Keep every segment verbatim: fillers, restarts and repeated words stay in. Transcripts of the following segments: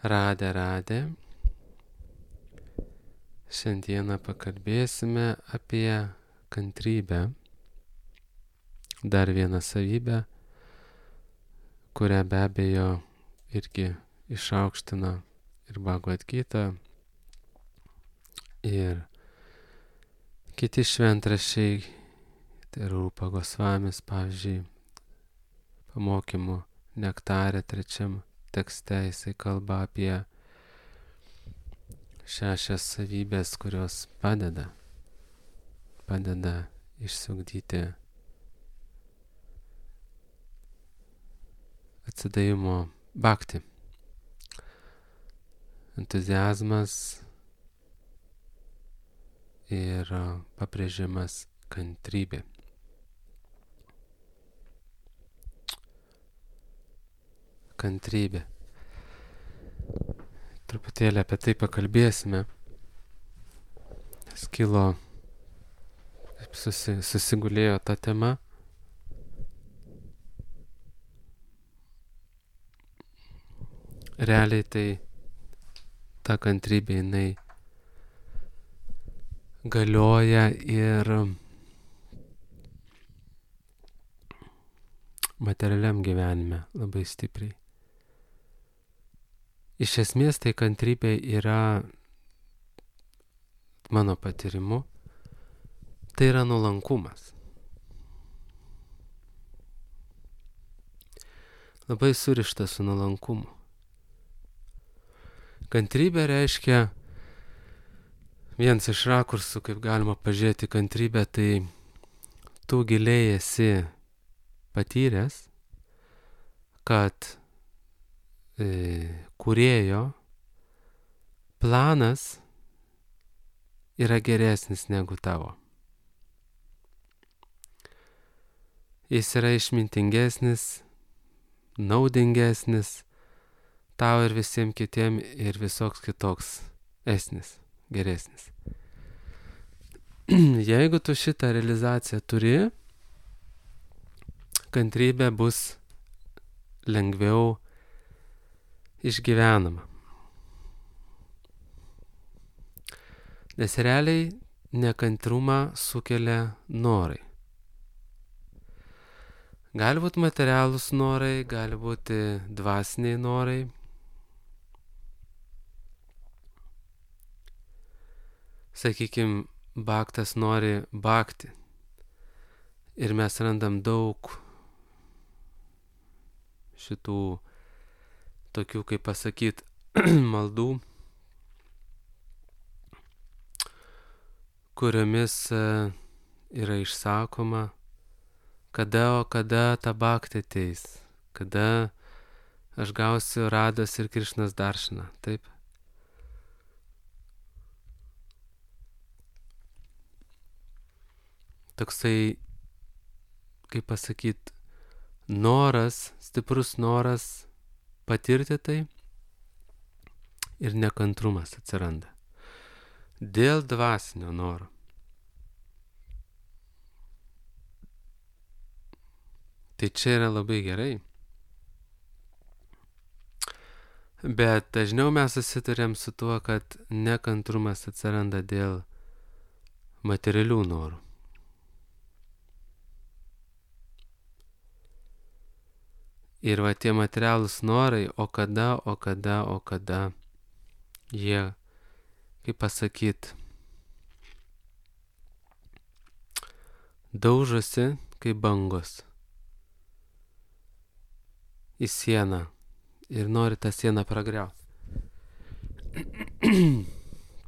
Radė, radė. Šiandieną pakalbėsime apie kantrybę. Dar vieną savybę, kurią be abejo irgi išaukština ir Bhagavad Gita, ir kiti šventraščiai, tai Rūpa Gosvamis, pavyzdžiui, pamokymų nektare trečiam tekste jisai kalba apie šešias savybės, kurios padeda, padeda išsiugdyti atsidavimo bhakti. Entuziazmas ir pabrėžimas kantrybė. Kantrybė. Truputėlį apie tai pakalbėsime. Skilo, susi, susigulėjo ta tema. Realiai tai ta kantrybė jinai galioja ir materialiam gyvenime labai stipriai. Iš esmės tai kantrybė yra, mano patyrimu, tai yra nuolankumas. Labai surištas su nuolankumu. Kantrybė reiškia, vienas iš rakursų, kaip galima pažiūrėti kantrybę, tai tu giliai esi patyręs, kad e, kūrėjo planas yra geresnis negu tavo. Jis yra išmintingesnis, naudingesnis tau ir visiems kitiem ir visoks kitoks esnis, geresnis. Jeigu tu šitą realizaciją turi, kantrybė bus lengviau išgyvenama. Nes realiai nekantrumą sukelia norai. Gali būti materialūs norai, gali būti dvasiniai norai. Sakykime, bhaktas nori bhakti. Ir mes randam daug šitų tokių, kaip pasakyt, maldų, kuriomis yra išsakoma, kada, o kada ta bhakti ateis, kada aš gausiu Rados ir Krišnos daršiną, taip? Toksai, kaip pasakyt, noras, stiprus noras patirti tai ir nekantrumas atsiranda. Dėl dvasinio noro. Tai čia yra labai gerai. Bet dažniau mes susiduriam su tuo, kad nekantrumas atsiranda dėl materialių norų. Ir va tie materialūs norai, o kada, o kada, o kada, jie, kaip pasakyt, daužosi kaip bangos į sieną ir nori tą sieną pragriauti.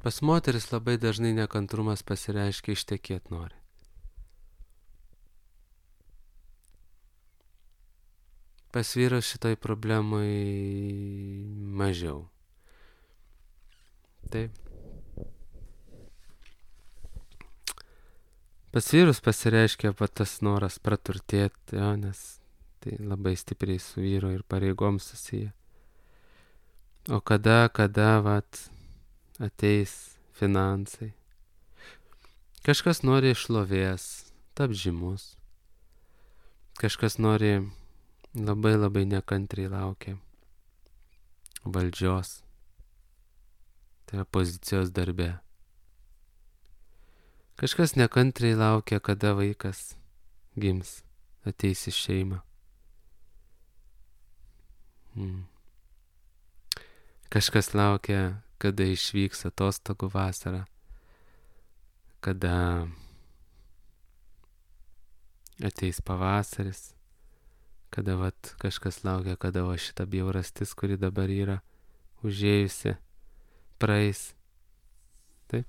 Pas moteris labai dažnai nekantrumas pasireiškia ištekėt nori. Pas vyrus šitoj problemai mažiau. Taip. Pas vyrus pasireiškia va tas noras praturtėti, jo, nes tai labai stipriai su vyro ir pareigom susiję. O kada, kada, vat, ateis finansai. Kažkas nori šlovės, tap žymus. Kažkas nori labai labai nekantriai laukia valdžios, Tai yra pozicijos darbe. Kažkas nekantriai laukia, kada vaikas gims, ateis į šeimą. Hmm. Kažkas laukia, kada išvyks atostogų vasarą, kada ateis pavasaris, kada vat kažkas laukia, kada va šita bjaurastis, kuri dabar yra užėjusi, praeis. Taip.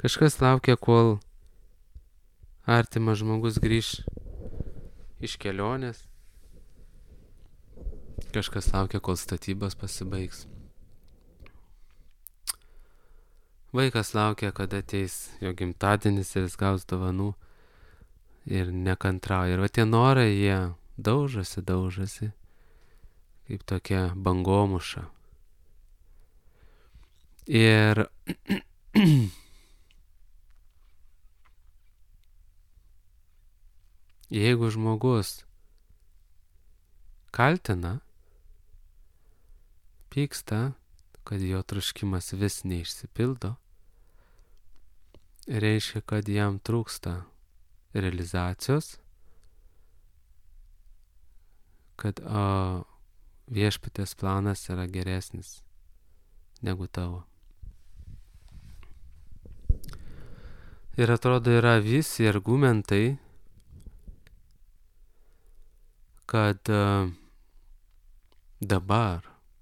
Kažkas laukia, kol artimas žmogus grįš iš kelionės. Kažkas laukia, kol statybos pasibaigs. Vaikas laukia, kada ateis jo gimtadienis ir jis gaus dovanų ir nekantrauja. Ir va tie norai, jie daužosi, daužosi, kaip tokia bangomuša. Ir jeigu žmogus kaltina, pyksta, kad jo troškimas vis neišsipildo, reiškia, kad jam trūksta realizacijos, kad o, viešpatės planas yra geresnis negu tavo. Ir atrodo, yra visi argumentai, kad uh, dabar,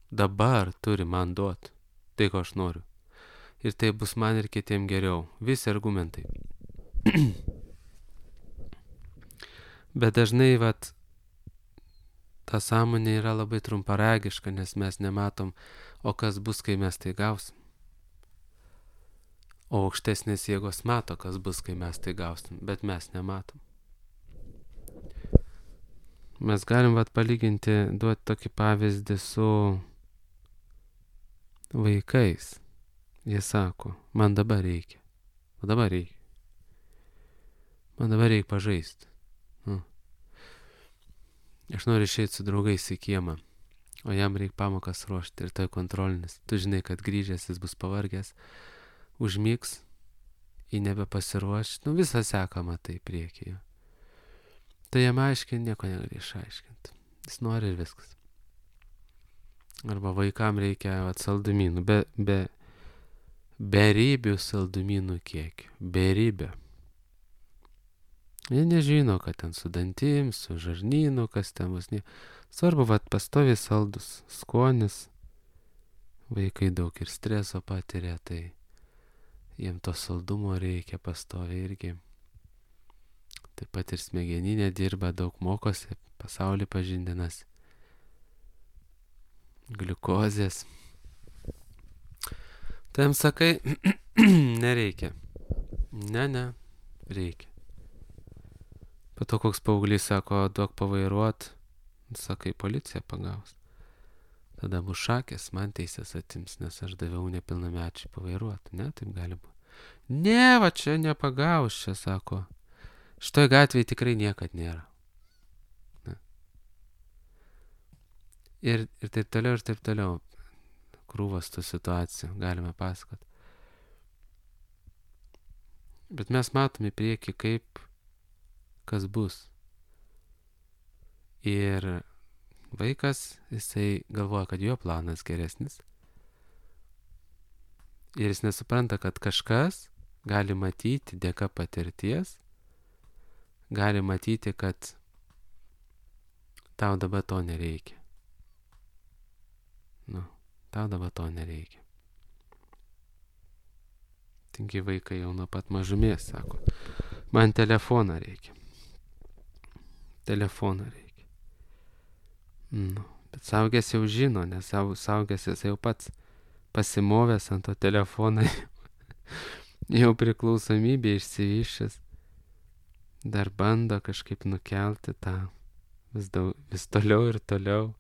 dabar turi man duoti tai, ko aš noriu. Ir tai bus man ir kitiem geriau. Visi argumentai. Bet dažnai, vat, ta sąmonė yra labai trumparagiška, nes mes nematom, o kas bus, kai mes tai gausim. O aukštesnės jėgos mato, kas bus, kai mes tai gausim, bet mes nematom. Mes galim vat palyginti, duoti tokį pavyzdį su vaikais. Jie sako, man dabar reikia. O dabar reikia. Man dabar reikia pažaisti. Nu. Aš noriu išeiti su draugais į kiemą, o jam reikia pamokas ruošti ir tai kontrolinis. Tu žinai, kad grįžęs jis bus pavargęs, užmigs, jį nebepasiruoš. Nu visą seką matai priekyje. Tai jam aiškiai nieko negali išaiškinti. Jis nori ir viskas. Arba vaikam reikia vat, saldumynų, be, be, beribių saldumynų kiekį. Beribę. Jie nežino, kad ten su dantim, su žarnynu, kas ten bus. Ne. Svarbu, vat, pastoviai saldus skonis. Vaikai daug ir streso patiria, tai jiem to saldumo reikia pastoviai irgi. Taip pat ir smegeninė dirba, daug mokosi, pasaulį pažindinas, gliukozės. Tai jam sakai, nereikia. Ne, ne, reikia. Po to koks paauglys sako, duok pavairuot, sakai, policija pagaus. Tada bus šakės, man teisės atims, nes aš daviau nepilnamečiai pavairuot. Ne, taip gali būti. Ne, va čia nepagaus, čia sako. Šitoj gatvėje tikrai niekad nėra. Ne. Ir, ir taip toliau, ir taip toliau. Krūvas tų situacijų galime pasakoti. Bet mes matome į priekį, kaip kas bus. Ir vaikas, jisai galvoja, kad jo planas geresnis. Ir jis nesupranta, kad kažkas gali matyti dėka patirties, gali matyti, kad tau dabar to nereikia. Nu, tau dabar to nereikia. Tingi vaikai jau nuo pat mažumės sako, man telefoną reikia. Telefoną reikia. Nu, bet saugęs jau žino, nes saugęs jis jau pats pasimovęs ant to telefoną, jau priklausomybė išsivyšęs. Dar bando kažkaip nukelti tą vis, daug, vis toliau ir toliau,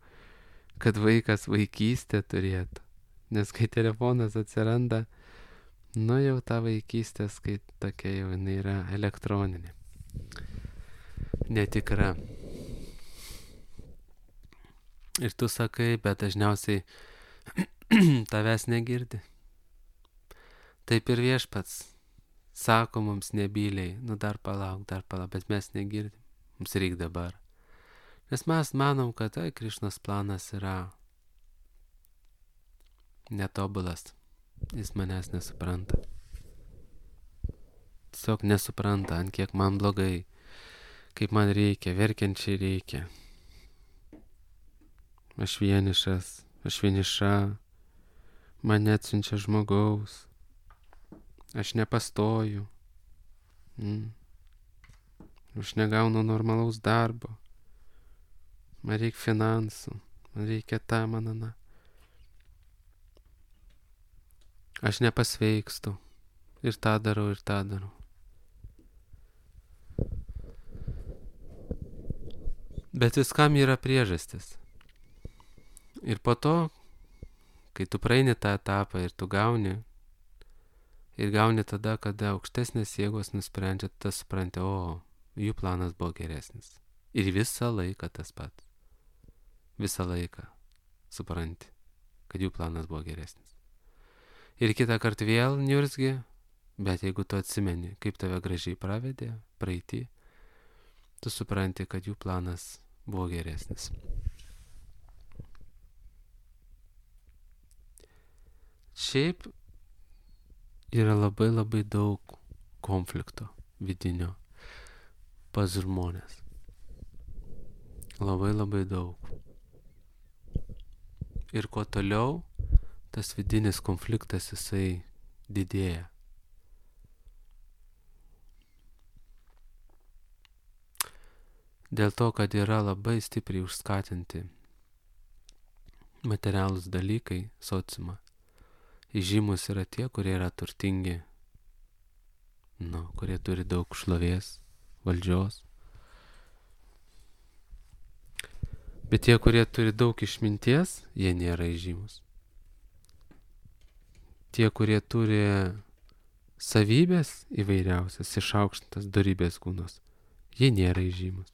kad vaikas vaikystę turėtų. Nes kai telefonas atsiranda, nu jau ta vaikystė, kai tokia jau jinai yra elektroninė. Netikra. Ir tu sakai, bet dažniausiai tavęs negirdi. Taip ir Viešpats sako mums nebyliai, nu dar palauk, dar palauk, bet mes negirdim, mums reikia dabar. Nes mes manom, kad tai Krišnos planas yra netobulas, jis manęs nesupranta. Tiesiog nesupranta, ant kiek man blogai, kaip man reikia, verkiančiai reikia. Aš vienišas, aš vieniša, man neatsiunčia žmogaus, aš nepastoju, mm. aš negaunu normalaus darbo, man reikia finansų, man reikia tą, man aną. Aš nepasveikstu, ir tą darau, ir tą darau. Bet viskam yra priežastis. Ir po to, kai tu praeini tą etapą ir tu gauni, ir gauni tada, kada aukštesnės jėgos nusprendžia, tas supranti, o, jų planas buvo geresnis. Ir visą laiką tas pats. Visą laiką supranti, kad jų planas buvo geresnis. Ir kitą kartą vėl niurzgi, bet jeigu tu atsimeni, kaip tave gražiai pravedė, praeitį, tu supranti, kad jų planas buvo geresnis. Šiaip yra labai labai daug konflikto vidinio pas žmonės. Labai labai daug. Ir kuo toliau, tas vidinis konfliktas jisai didėja. Dėl to, kad yra labai stipriai užskatinti materialūs dalykai sociumą. Įžymus yra tie, kurie yra turtingi, nu, kurie turi daug šlovės, valdžios. Bet tie, kurie turi daug išminties, jie nėra įžymus. Tie, kurie turi savybės įvairiausias, išaukštintas dorybės kūnos, jie nėra įžymus.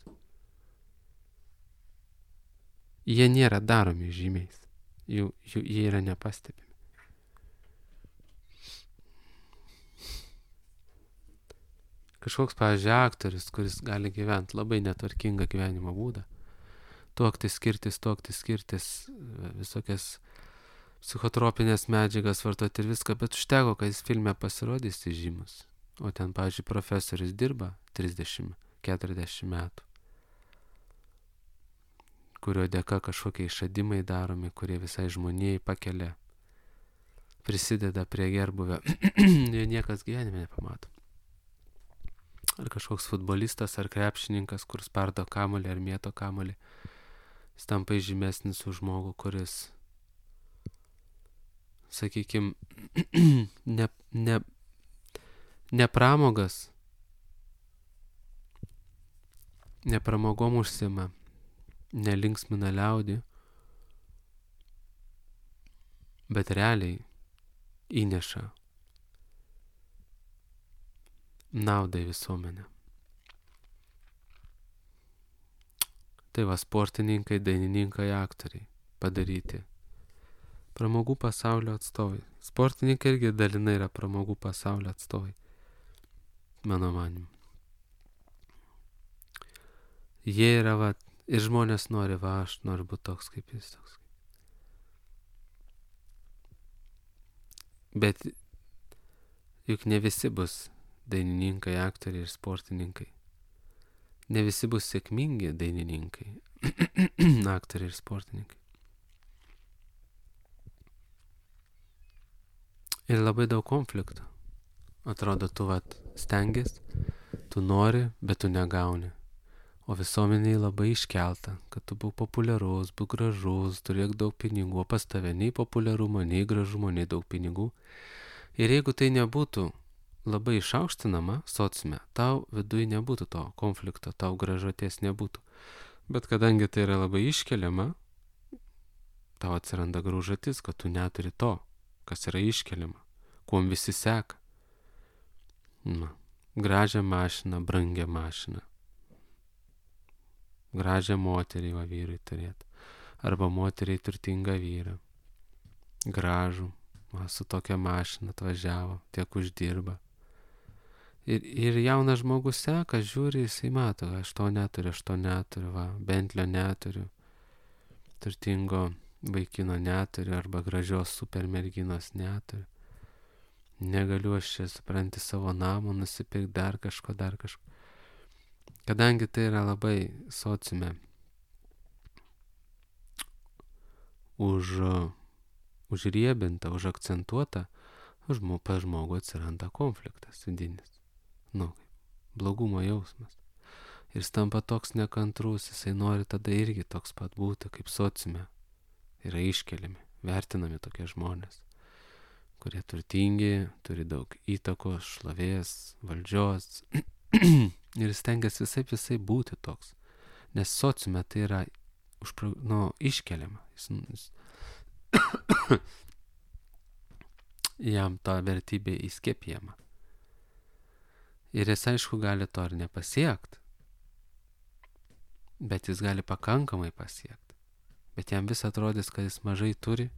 Jie nėra daromi žymiais, jų, jų, jie yra nepastebimi. Kažkoks, pavyzdžiui, aktorius, kuris gali gyventi labai netvarkingą gyvenimo būdą, tuoktis, skirtis, tuoktis, skirtis, visokias psichotropinės medžiagas vartoti ir viską, bet užteko, kad jis filme pasirodys įžymus. O ten, pavyzdžiui, profesorius dirba trisdešimt keturiasdešimt metų, kurio dėka kažkokie išradimai daromi, kurie visai žmonijai pakelia, prisideda prie gerbuvio, ir niekas gyvenime nepamato. Ar kažkoks futbolistas, ar krepšininkas, kur spardo kamuolį, ar mėto kamuolį, jis tampa žymesnis už žmogų, kuris, sakykime, ne, ne, ne pramogas, ne pramogom užsima, nelinksmina liaudį, bet realiai įneša naudą į visuomenę. Tai va, sportininkai, dainininkai, aktoriai padaryti. Pramogų pasaulio atstovai. Sportininkai irgi dalinai yra pramogų pasaulio atstovai. Mano manimu. Jie yra, va, ir žmonės nori, va, aš noriu būti toks kaip jis, toks. Bet juk ne visi bus dainininkai, aktoriai ir sportininkai. Ne visi bus sėkmingi dainininkai, aktoriai ir sportininkai. Ir labai daug konfliktų. Atrodo, tu vat stengies, tu nori, bet tu negauni. O visuomeniai labai iškelta, kad tu būk populiarus, būk gražus, turėk daug pinigų, o pas tave nei populiarumo, nei gražumo, nei daug pinigų. Ir jeigu tai nebūtų labai išaukštinama sociume, tau viduj nebūtų to konflikto, tau gražaties nebūtų. Bet kadangi tai yra labai iškeliama, tau atsiranda graužatis, kad tu neturi to, kas yra iškeliama, kuom visi seka. Na, gražią mašiną, brangią mašiną. Gražią moterį va vyrui turėti. Arba moteriai turtingą vyrą. gražų, va, su tokia mašina atvažiavo, tiek uždirba. Ir, ir jaunas žmogus seka, žiūri, jisai mato, aš to neturiu, aš to neturiu, va, Bentlio neturiu, turtingo vaikino neturiu, arba gražios super merginos neturiu. Negaliu aš čia, supranti, savo namo nusipirkti, dar kažko, dar kažko. Kadangi tai yra labai sociume už, užriebinta, užakcentuota, žmo, pas žmogų atsiranda konfliktas vidinis. Nu, blogumo jausmas. Ir jis tampa toks nekantrus, jisai nori tada irgi toks pat būti, kaip sociume. Yra iškeliami, vertinami tokie žmonės, kurie turtingi, turi daug įtakos, šlovės, valdžios. Ir stengiasi visai visai būti toks. Nes sociume tai yra užpro, nu, iškeliama. Jis, jis jam ta vertybė įskiepijama. Ir jis aišku gali to ir nepasiekti. Bet jis gali pakankamai pasiekti. Bet jam vis atrodys, kad jis mažai turi.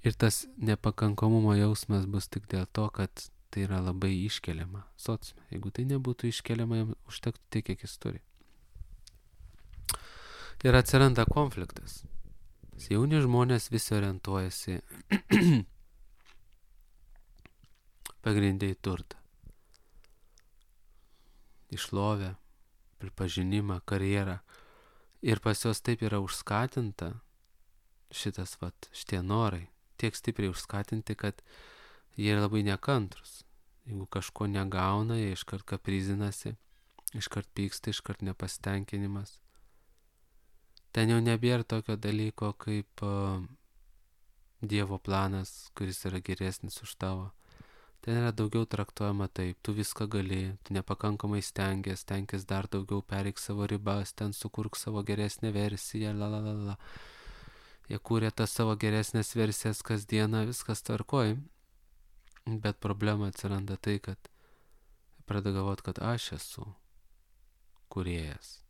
Ir tas nepakankamumo jausmas bus tik dėl to, kad tai yra labai iškeliama sociume. Jeigu tai nebūtų iškeliama, jam užtektų tiek, kiek jis turi. Ir atsiranda konfliktas. Jauni žmonės visi orientuojasi pagrindai turtą. Išlovę, pripažinimą, karjerą. Ir pas juos taip yra užskatinta šitas, vat, šitie norai. Tiek stipriai užskatinti, kad jie labai nekantrus. Jeigu kažko negauna, jie iškart kaprizinasi, iškart pyksta, iškart nepastenkinimas. Ten jau nebėra tokio dalyko kaip uh, Dievo planas, kuris yra geresnis už tavo. Ten yra daugiau traktuojama taip, tu viską gali, tu nepakankamai stengies, stengies dar daugiau, pereik savo ribas, ten sukurk savo geresnę versiją, la la la la. Jie kūrė tas savo geresnės versijas kasdieną, viskas tvarkoj. Bet problema atsiranda tai, kad pradeda galvoti, kad aš esu kūrėjas.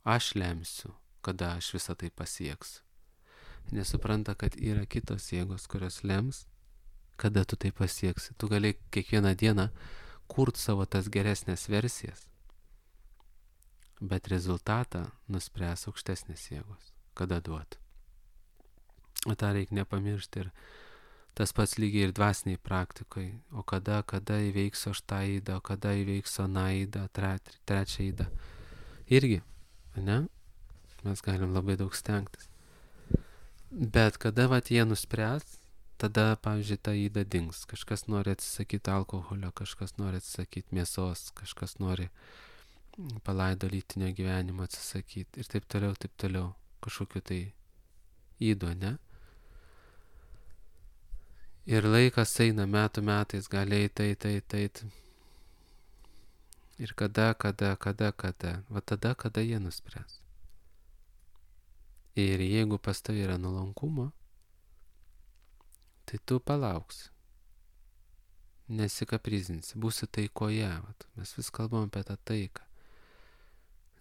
Aš lemsiu, kada aš visą tai pasieksiu. Nesupranta, kad yra kitos jėgos, kurios lems, kada tu tai pasieksi. Tu gali kiekvieną dieną kurt savo tas geresnės versijas, bet rezultatą nuspręs aukštesnės jėgos, kada duot. O tą reikia nepamiršti ir tas pats lygiai ir dvasiniai praktikai. O kada, kada įveiksiu aš tą įdą, o kada įveiksiu aną įdą, tre, trečią įdą. Irgi, ne? Mes galim labai daug stengtis. Bet kada vat jie nuspręs, tada, pavyzdžiui, ta įda dings. Kažkas nori atsisakyti alkoholio, kažkas nori atsisakyti mėsos, kažkas nori palaido lytinio gyvenimo atsisakyti ir taip toliau, taip toliau. Kažkokiu tai įdo, ne? Ir laikas eina metų metais, gali eiti, eiti, eiti, eiti. Ir kada, kada, kada, kada. Va tada, kada jie nuspręs. Ir jeigu pas tavai yra nuolankumo, tai tu palauksi. Nesikaprizinsi, būsi taikoje. Vat. Mes vis kalbam apie tą taiką.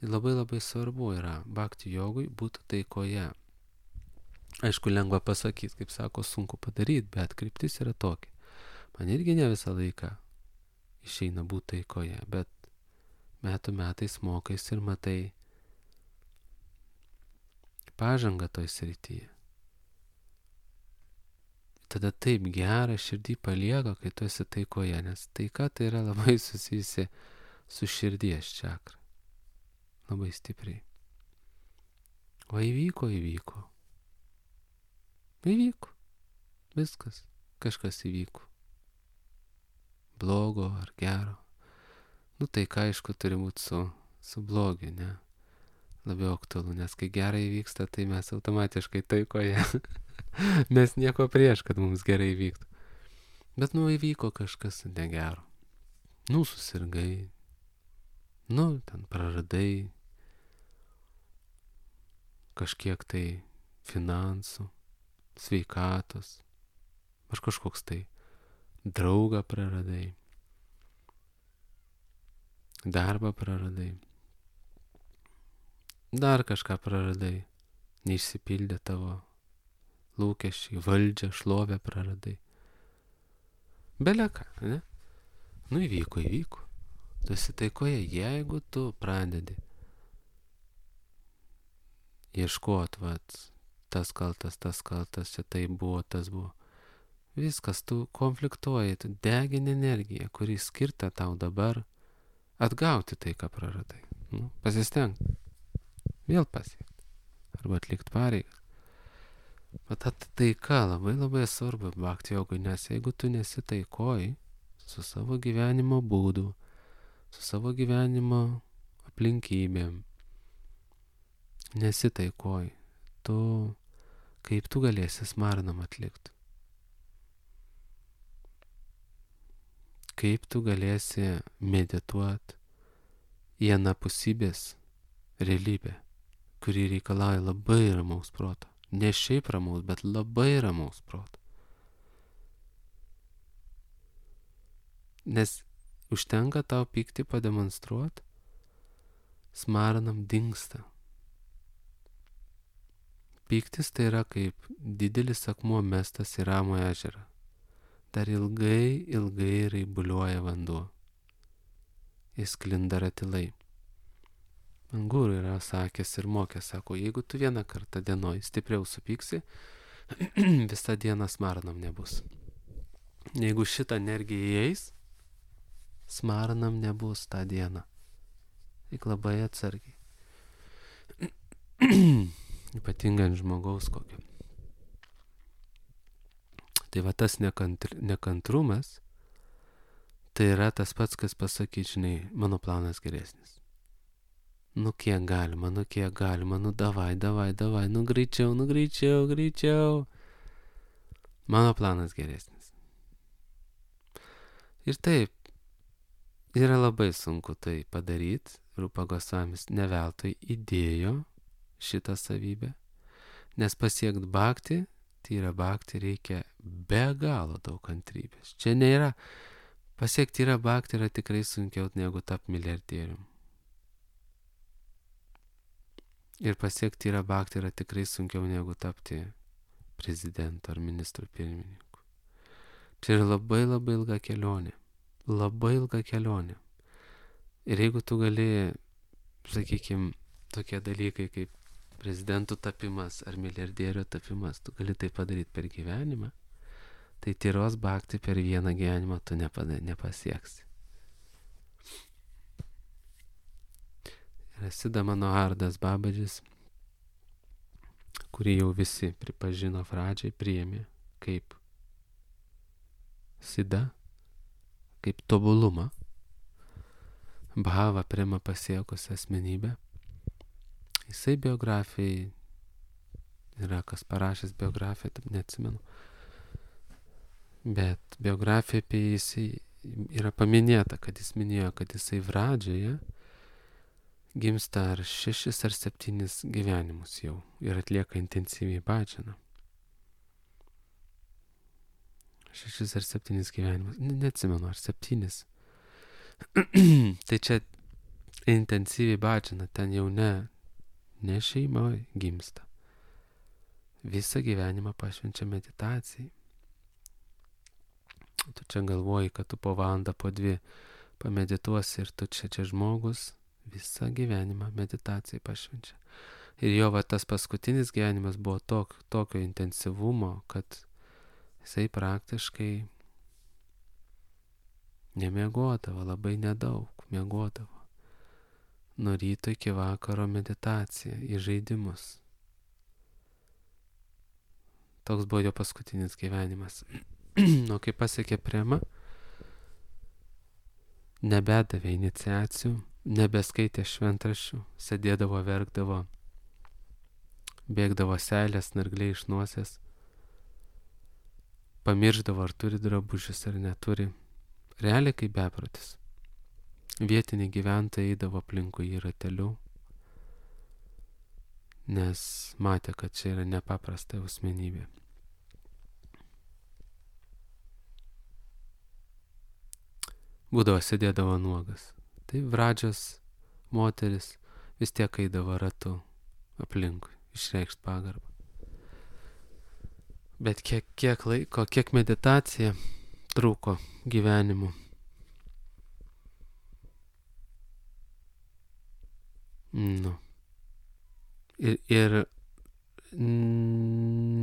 Labai labai svarbu yra bhakti jogui būti taikoje. Aišku, lengva pasakyti, kaip sako, sunku padaryti, bet kryptis yra tokia. Man irgi ne visą laiką išeina būti taikoje, bet metų metais mokais ir matai pažangą toj srityje. Tada taip gera širdį palieka, kai tu esi taikoje, nes taika tai yra labai susijusi su širdies čakra. Labai stipriai. O įvyko, įvyko. Įvyko. Viskas. Kažkas įvyko. Blogo ar gero. Nu tai ką, aišku, turi būti su, su blogiu, ne? Labiau aktualu, nes kai gerai įvyksta, tai mes automatiškai taikoje. Mes nieko prieš, kad mums gerai įvyktų. Bet nu įvyko kažkas negero. Nu susirgai. Nu ten praradai kažkiek tai finansų, sveikatos, ar kažkoks tai draugą praradai, darbą praradai, dar kažką praradai, neišsipildė tavo lūkesčiai, valdžią, šlovę praradai. Beleką, ne? Nu įvyko, įvyko. Tu esi taikoje, jeigu tu pradedi ieškot, vat, tas kaltas, tas kaltas, čia tai buvo, tas buvo. Viskas, tu konfliktuoji, tu degini energiją, kuri skirta tau dabar atgauti tai, ką praradai. Nu, pasistenk. Vėl pasiekti. Arba atlikti pareigas. Bet ta taika labai labai svarbu bhakti jogui, nes jeigu tu nesi taikoj su savo gyvenimo būdu, su savo gyvenimo aplinkybėm, nesi taikoj, tu kaip tu galėsi smarnam atlikti? Kaip tu galėsi medituoti į anapusybės realybę, kuri reikalauja labai ramaus proto. Ne šiaip ramaus, bet labai ramaus proto. Nes užtenka tau pyktį pademonstruoti, smarnam dingsta. Pyktis tai yra kaip didelis akmuo mestas į ramų ežerą. Dar ilgai, ilgai raibuliuoja vanduo. Jis sklinda ratilai. Man guru yra sakęs ir mokęs, sako, jeigu tu vieną kartą dienoj stipriau supyksi, visą dieną smarnam nebus. Jeigu šitą energiją įeis, smarnam nebus tą dieną. Tik labai atsargiai. Ypatingai ant žmogaus kokio. Tai va tas nekantr, nekantrumas, tai yra tas pats, kas pasakyti, žinai, mano planas geresnis. Nu kiek galima, nu kiek galima, nu davai, davai, davai, nu greičiau, nu greičiau, greičiau. Mano planas geresnis. Ir taip, yra labai sunku tai padaryti. Rupa Gosvamis ne veltui įdėjo šitą savybę, nes pasiekt bhakti, tai yra bhakti reikia be galo daug kantrybės. Čia nėra, pasiekti yra bhakti yra tikrai sunkiau negu tapti milijardierium. Ir pasiekti yra bhakti yra tikrai sunkiau negu tapti prezidentu ar ministru pirmininku. Čia yra labai labai ilga kelionė. Labai ilga kelionė. Ir jeigu tu gali, sakykime, tokie dalykai kaip prezidentų tapimas ar milijardierių tapimas, tu gali tai padaryti per gyvenimą, tai tyros bhakti per vieną gyvenimą tu nepada, nepasieksi. Ir Sida Manohardas Babadžis, kurį jau visi pripažino pradžiai, priėmė kaip Sida, kaip tobulumą, bhava prema pasiekusią asmenybę. Jisai biografijai yra, kas parašęs biografiją, taip neatsimenu. Bet biografija apie jisai yra paminėta, kad jis minėjo, kad jisai pradžioje gimsta ar šešis ar septynis gyvenimus jau ir atlieka intensyviai bhajaną. Šešis ar septynis gyvenimus, ne, neatsimenu, ar septynis. Tai čia intensyviai bhajaną, ten jau ne, ne šeimoje gimsta. Visą gyvenimą pašvenčia meditacijai. Tu čia galvoji, kad tu po valandą, po dvi pamedituosi ir tu čia čia žmogus visą gyvenimą meditacijai pašvenčia. Ir jo va tas paskutinis gyvenimas buvo tok, tokio intensyvumo, kad jisai praktiškai nemiegodavo, labai nedaug miegodavo. Nuo ryto iki vakaro meditacija į žaidimus. Toks buvo jo paskutinis gyvenimas. O kai pasiekė prema, nebedavė iniciacijų, nebeskaitė šventraščių, sėdėdavo, verkdavo, bėgdavo seilės, nargliai iš nosies, pamirždavo, ar turi drabužius ar neturi. Realiai kaip beprotis. Vietiniai gyventojai eidavo aplinkui į ratelių, nes matė, kad čia yra nepaprasta asmenybė. Būdavo sėdėdavo nuogas. Tai Vradžios moteris vis tiek eidavo ratu aplinkui, išreikšt pagarbą. Bet kiek, kiek laiko, kiek meditacija truko gyvenimu. Nu. Ir, ir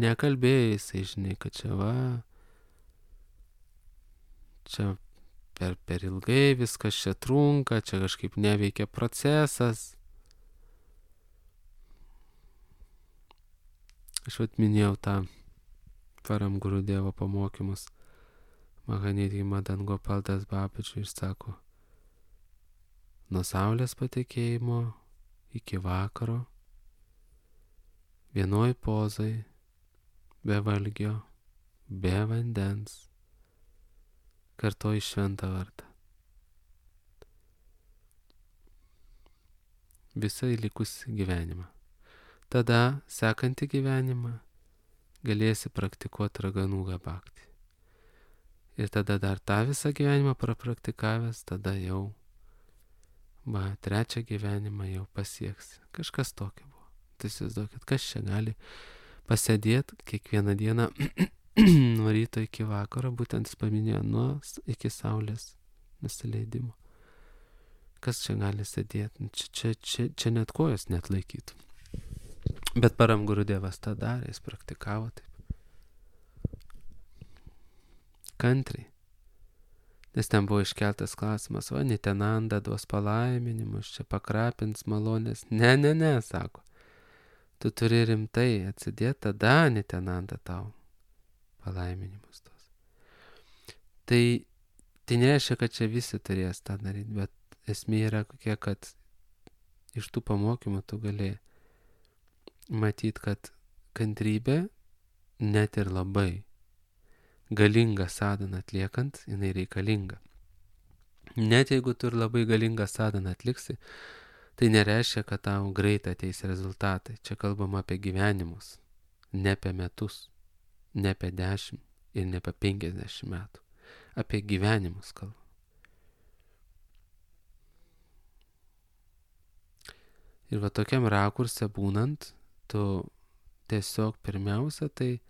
nekalbėjai jisai, žinai, kad čia va, čia per, per ilgai viskas čia trunka, čia kažkaip neveikia procesas. Aš vat minėjau tą Param Gurudievo pamokymus. Mahanidhi Madan Gopal Das Babaji ir sako, nuo saulės patekėjimo iki vakaro, vienoj pozai, be valgio, be vandens, kartoji šventą vardą. Visą likusį gyvenimą. Tada, sekantį gyvenimą, galėsi praktikuoti Raganugą Bhaktį. Ir tada dar tą visą gyvenimą prapraktikavęs, tada jau, va, trečią gyvenimą jau pasieksi. Kažkas tokio buvo. Tai įsivaizduokit, kas čia gali pasėdėti kiekvieną dieną nuo ryto iki vakaro, būtent jis paminėjo nuo iki saulės nusileidimo. Kas čia gali sėdėti? Čia, čia, čia, čia net kojas net laikytų. Bet Param Gurudevas tą darė, jis praktikavo taip. Kantriai. Nes ten buvo iškeltas klausimas, va, Nityananda duos palaiminimus, čia pakrapins malonės. Ne, ne, ne, sako. Tu turi rimtai atsidėti, tada Nityananda tau palaiminimus duos. Tai, tai nereiškia, kad čia visi turės tą daryti, bet esmė yra kokia, kad iš tų pamokymų tu gali matyti, kad kantrybė net ir labai galingą sadhaną atliekant, jinai reikalinga. Net jeigu tu ir labai galingą sadhaną atliksi, tai nereiškia, kad tau greitai ateis rezultatai. Čia kalbama apie gyvenimus, ne apie metus, ne apie dešimt ir ne apie penkiasdešimt metų. Apie gyvenimus kalbam. Ir va tokiam rakurse būnant, tu tiesiog pirmiausia, tai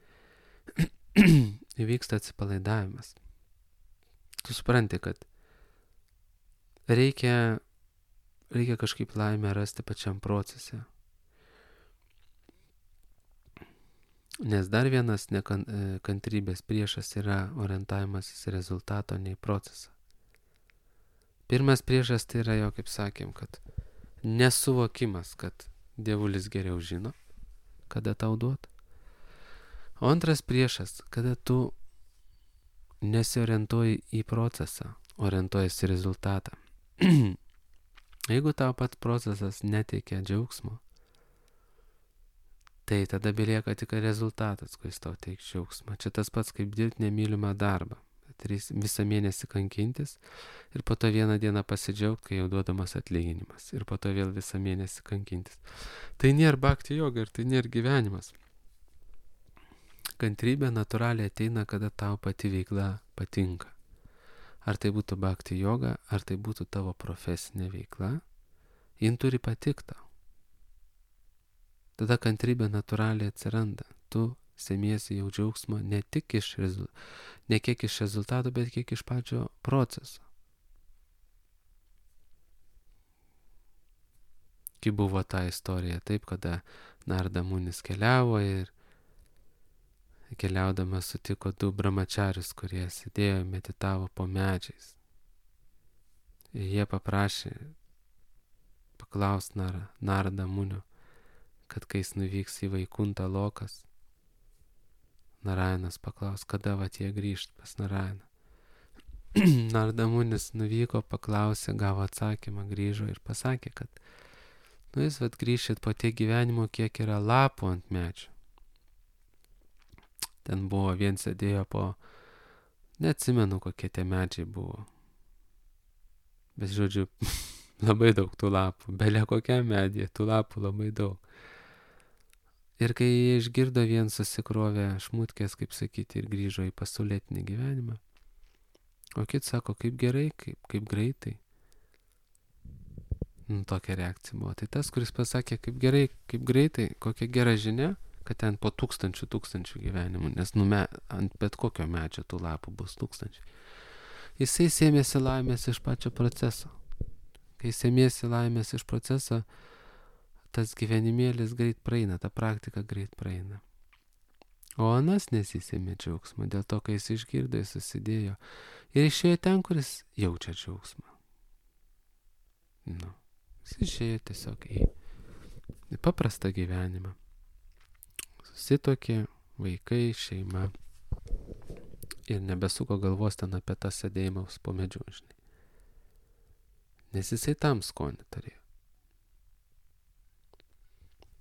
įvyksta atsipalaidavimas. Tu supranti, kad reikia, reikia kažkaip laimę rasti pačiam procese. Nes dar vienas nekantrybės priešas yra orientavimasis į rezultato, ne į procesą. Pirmas priešas tai yra jo, kaip sakėm, kad nesuvokimas, kad dievulis geriau žino, kada tau duot. O antras priešas, kada tu nesiorientuoji į procesą, orientuojasi į rezultatą. Jeigu tau pats procesas neteikia džiaugsmo, tai tada belieka tik rezultatas, kuris tau teiks džiaugsmą. Čia tas pats kaip dirbti nemylimą darbą. Visą mėnesį kankintis ir po to vieną dieną pasidžiaugti, kai jau duodamas atlyginimas. Ir po to vėl visą mėnesį kankintis. Tai nėra bhakti yoga ir tai nėra gyvenimas. Kantrybė natūraliai ateina, kada tau pati veikla patinka. Ar tai būtų bhakti yoga, ar tai būtų tavo profesinė veikla, jin turi patikti tau. Tada kantrybė natūraliai atsiranda. Tu semiesi jau džiaugsmo ne tik iš, ne kiek iš rezultato, bet kiek iš pačio proceso. Kai buvo ta istorija taip, kada Narada Munis keliavo ir keliaudamas sutiko du brahmacharius, kurie sėdėjo, meditavo po medžiais. Ir jie paprašė paklaust Narada Munio, kad kai jis nuvyks į Vaikuntą lokas, Narayanas paklaus, kada vat jie grįžt pas Narayaną. Narada Munis nuvyko, paklausė, gavo atsakymą, grįžo ir pasakė, kad nu jūs vat grįšit po tiek gyvenimo, kiek yra lapų ant medžių. Ten buvo, vien sėdėjo po, neatsimenu, kokie tie medžiai buvo. Bet žodžiu, labai daug tų lapų, belia kokia medė, tų lapų labai daug. Ir kai jie išgirdo, vien susikrovė šmutkės, kaip sakyti, ir grįžo į pasaulietinį gyvenimą. O kiti sako, kaip gerai, kaip, kaip greitai. Nu, tokia reakcija buvo. Tai tas, kuris pasakė, kaip gerai, kaip greitai, kokia gera žinia, kad ten po tūkstančių tūkstančių gyvenimų, nes nu, me, ant bet kokio medžio tų lapų bus tūkstančiai. Jisai sėmėsi laimės iš pačio proceso. Kai sėmėsi laimės iš proceso, tas gyvenimėlis greit praeina, ta praktika greit praeina. O anas nesisėmė džiaugsmą, dėl to, kai jis išgirdo, jis susidėjo ir išėjo ten, kuris jaučia džiaugsmą. Nu, jis išėjo tiesiog į, į paprastą gyvenimą. Susitokė, vaikai, šeima ir nebesuko galvos ten apie tą sėdėjimą po medžiu, žinai. Nes jisai tam skonį turėjo.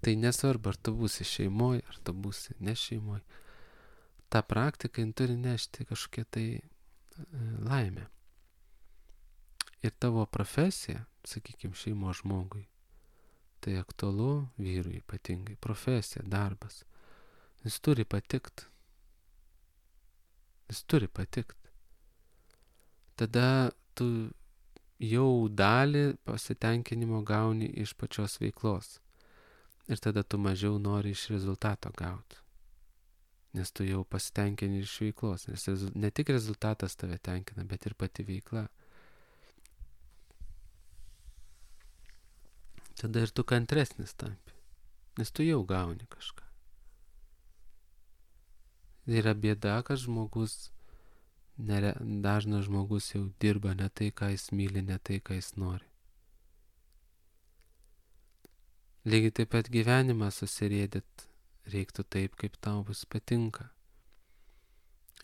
Tai nesvarbu, ar tu būsi šeimoje, ar tu būsi ne šeimoje. Ta praktika turi nešti kažkokią tai e, laimę. Ir tavo profesija, sakykime, šeimo žmogui, tai aktualu vyrui ypatingai. Profesija, darbas. Jis turi patikt. Jis turi patikt. Tada tu jau dalį pasitenkinimo gauni iš pačios veiklos. Ir tada tu mažiau nori iš rezultato gauti. Nes tu jau pasitenkini iš veiklos. Nes ne tik rezultatas tave tenkina, bet ir pati veikla. Tada ir tu kantresnis tampi. Nes tu jau gauni kažką. Yra bėda, kad žmogus, nere, dažnas žmogus jau dirba ne tai, ką jis myli, ne tai, ką jis nori. Lygiai taip pat gyvenimą susirėdit reiktų taip, kaip tau bus patinka.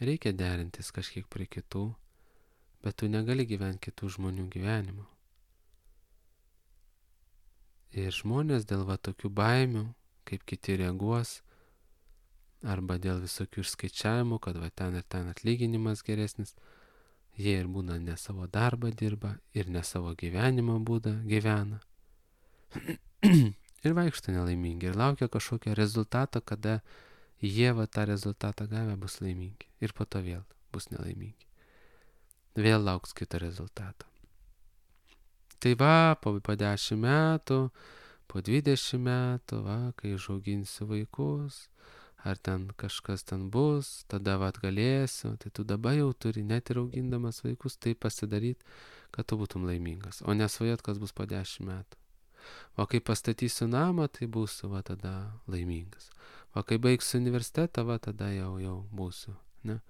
Reikia derintis kažkiek prie kitų, bet tu negali gyventi kitų žmonių gyvenimo. Ir žmonės dėl va tokių baimių, kaip kiti reaguos, arba dėl visokių išskaičiavimų, kad va ten ir ten atlyginimas geresnis, jie ir būna ne savo darbą dirba, ir ne savo gyvenimo būdą gyvena. Ir vaikšto nelaimingi, ir laukia kažkokio rezultato, kada jie va tą rezultatą gavę bus laimingi. Ir po to vėl bus nelaimingi. Vėl lauks kito rezultato. Tai va, po, po dešimt metų, po dvidešimt metų, va, kai užauginsiu vaikus, ar ten kažkas ten bus, tada va galėsiu, tai tu dabar jau turi, net ir augindamas vaikus, tai pasidaryti, kad tu būtum laimingas. O nesvajot, kas bus po dešimt metų. O kai pastatysiu namą, tai būsiu va tada laimingas. O kai baigsiu universitetą, va tada jau, jau būsiu. Ne?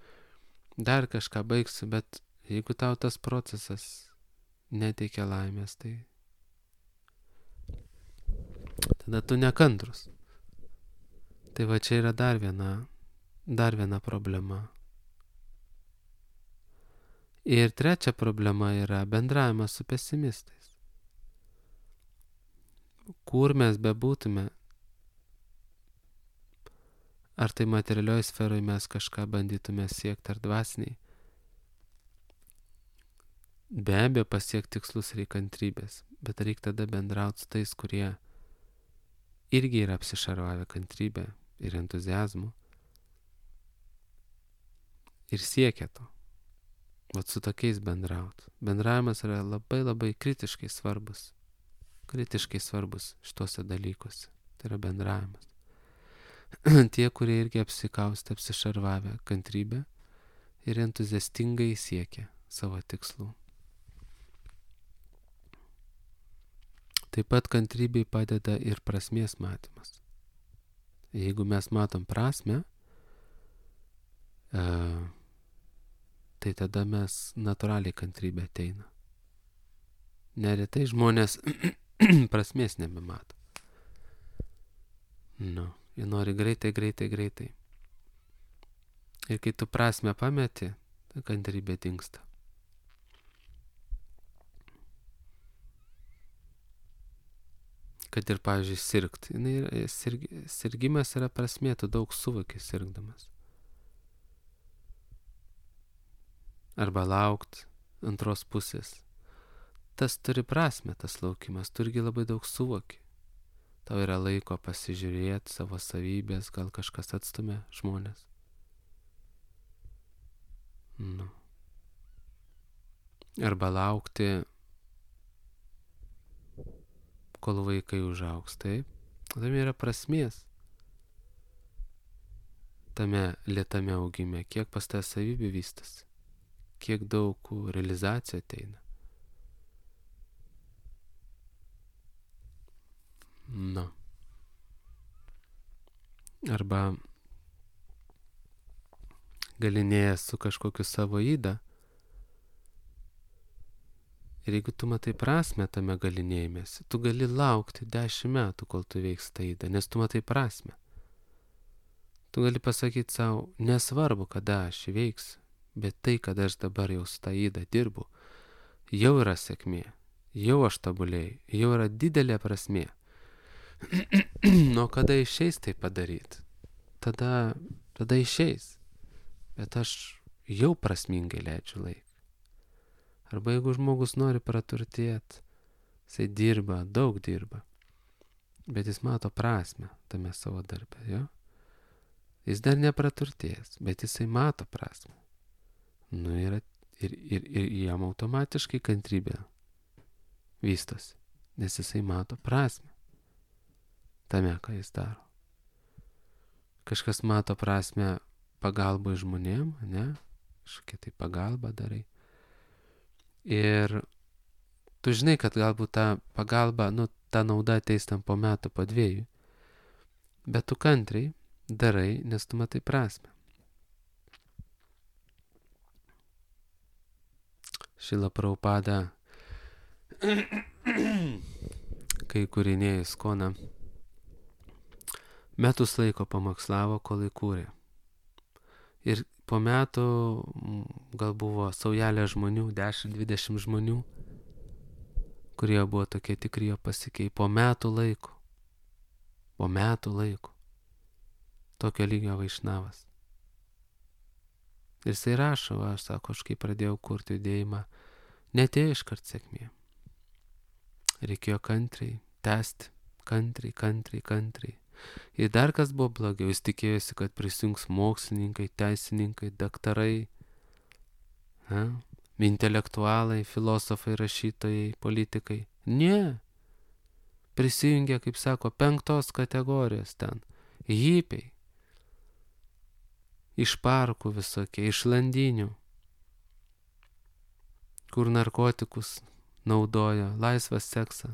Dar kažką baigsiu, bet jeigu tau tas procesas neteikia laimės, tai tada tu nekantrus. Tai va čia yra dar viena, dar viena problema. Ir trečia problema yra bendravimas su pesimistais. Kur mes bebūtume, ar tai materialioj sferoje mes kažką bandytume siekti ar dvasiniai, be abejo pasiekti tikslus reikia kantrybės, bet reikia tada bendrauti su tais, kurie irgi yra apsišarvavę kantrybę ir entuziazmu ir siekia to. Vat su tokiais bendrauti. Bendravimas yra labai labai kritiškai svarbus. Kritiškai svarbus šituose dalykuose. Tai yra bendravimas. Tie, kurie irgi apsikaustę, apsišarvavę kantrybę ir entuziastingai siekia savo tikslų. Taip pat kantrybei padeda ir prasmės matymas. Jeigu mes matom prasmę, e, tai tada mes natūraliai kantrybė ateina. Neretai žmonės prasmės nebemato. Nu, jie nori greitai, greitai, greitai. Ir kai tu prasmę pameti, ta kantrybė dingsta. Kad ir, pavyzdžiui, sirgt. Sirg, sirgimas yra prasmė, tu daug suvoki sirgdamas. Arba laukt antros pusės. Tas turi prasmę, tas laukimas, tu irgi labai daug suvoki. Tau yra laiko pasižiūrėti savo savybės, gal kažkas atstumia žmonės. Nu. Arba laukti, kol vaikai užaugs, taip? Tam yra prasmės. tame lėtame augime, kiek pas tave savybių vystosi, kiek daug realizacijų ateina. Nu. Arba galinėjęs su kažkokiu savo įdą. Ir jeigu tu matai prasme tame galinėjimėsi, tu gali laukti dešimt metų, kol tu veiks tą įdą, nes tu matai prasme. Tu gali pasakyti savo, nesvarbu, kada aš įveiksiu, bet tai, kad aš dabar jau su tą įdą dirbu, jau yra sėkmė, jau aš tobulėjau, jau yra didelė prasmė. Nuo kada išeis tai padaryti? Tada, tada išeis. Bet aš jau prasmingai leidžiu laiką. Arba jeigu žmogus nori praturtėti, jisai dirba, daug dirba, bet jis mato prasmę tame savo darbe, jo? Jis dar nepraturtėjęs, bet jisai mato prasmę. Nu ir, ir, ir, ir jam automatiškai kantrybė vystosi, nes jisai mato prasmę tame, ką jis daro. Kažkas mato prasmę pagalbai žmonėm, ne? Kažkokia tai pagalba darai. Ir tu žinai, kad galbūt ta pagalba, nu, ta nauda ateis tam po metų, po dviejų. Bet tu kantriai darai, nes tu matai prasmę. Šila Prabhupada, kai kūrinėjo Iskoną, metus laiko pamokslavo, kol įkūrė. Ir po metų gal buvo saujelė žmonių, dešimt dvidešimt žmonių, kurie buvo tokie tikri, jo pasikei. Po metų laiko. Po metų laiko. Tokio lygio Vaišnavas. Ir jisai rašo, aš sako, aš kai pradėjau kurti judėjimą, netėjo iškart sėkmė. Reikėjo kantriai, tęsti, kantriai, kantriai, kantriai. Ir dar kas buvo blogiau, jis tikėjosi, kad prisijungs mokslininkai, teisininkai, daktarai, ha? Intelektualai, filosofai, rašytojai, politikai. Ne. Prisijungė, kaip sako, penktos kategorijos ten. Hipiai. Iš parkų visokie, iš landinių, kur narkotikus naudojo, laisvą seksą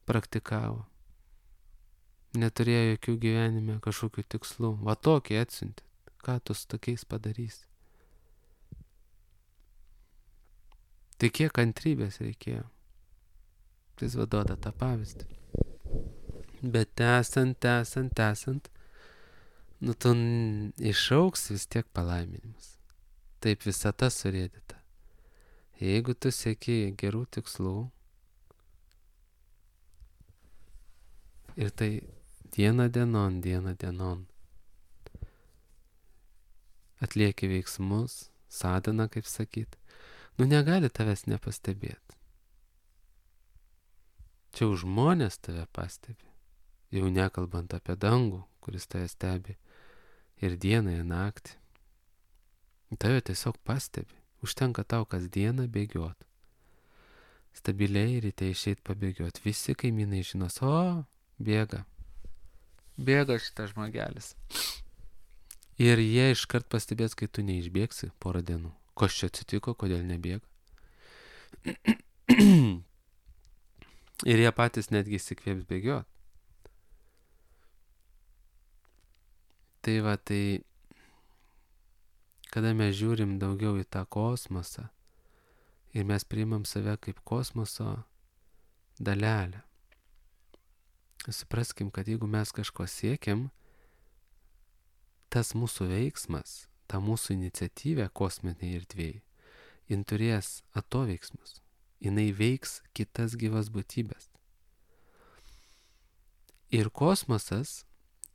praktikavo. Neturėjo jokių gyvenime kažkokių tikslų. Va tokį atsiuntė. Ką tu su tokiais padarysi? Tai kiek kantrybės reikėjo? Tai vaduoda tą pavyzdį. Bet tęsant, tęsant, tęsant, nu tu išauks vis tiek palaiminimus. Taip visata surėdyta. Jeigu tu sieki gerų tikslų ir tai diena dienon, diena dienon atlieki veiksmus, sadhana, kaip sakyt, nu negali tavęs nepastebėti. Čia jau žmonės tave pastebi, jau nekalbant apie dangų, kuris tave stebi ir dieną, ir naktį. Tave tiesiog pastebi, užtenka tau kasdieną bėgiot. Stabiliai ryte išeit pabėgiot, visi kaimynai žinos, o, bėga, bėga šitas žmogelis. Ir jie iškart pastebės, kai tu neišbėgsi porą dienų. Kas čia atsitiko, kodėl nebėga? Ir jie patys netgi įsikvėps bėgiot. Tai va, tai kada mes žiūrim daugiau į tą kosmosą ir mes priimam save kaip kosmoso dalelę. Supraskim, kad jeigu mes kažko siekiam, tas mūsų veiksmas, ta mūsų iniciatyvė kosminėje erdvėje, jin turės atoveiksmus. Jinai veiks kitas gyvas būtybės. Ir kosmosas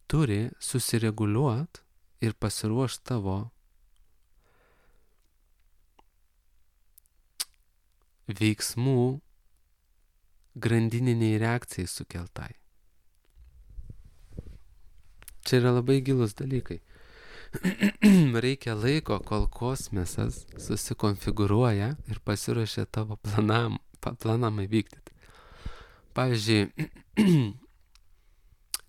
turi susireguliuoti ir pasiruošti tavo veiksmų grandininiai reakcijai sukeltai. Čia yra labai gilus dalykai. Reikia laiko, kol kosmosas susikonfigūruoja ir pasiruošia tavo planam, planam įvykdyti. Pavyzdžiui,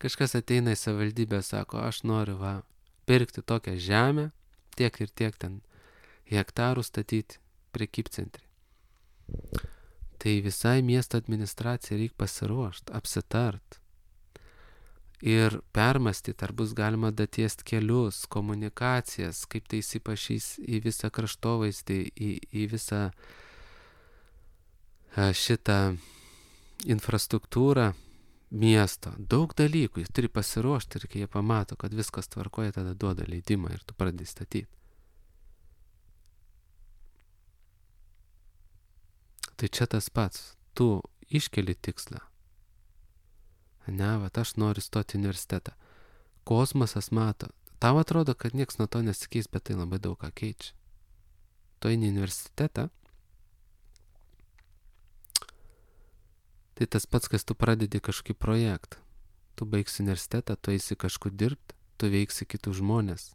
kažkas ateina į savivaldybę, sako, aš noriu va, pirkti tokią žemę, tiek ir tiek ten hektarų statyti prekybcentrį. Tai visai miesto administracijai reikia pasiruošti, apsitart ir permastyti, ar bus galima datiesti kelius, komunikacijas, kaip tai įsipašys į visą kraštovaizdį, į, į visą šitą infrastruktūrą miesto. Daug dalykų, jis turi pasiruošti ir kai jie pamato, kad viskas tvarkoja, tada duoda leidimą ir tu pradedi statyti. Tai čia tas pats, tu iškeli tikslą. Ne, vat aš noriu stoti į universitetą. Kosmosas mato. Tau atrodo, kad nieks nuo to nesikeis, bet tai labai daug ką keičia. Tu eini į universitetą, tai tas pats, kas tu pradedi kažkokį projektą. Tu baigsi universitetą, tu eisi kažkur dirbti, tu veiksi kitus žmonės.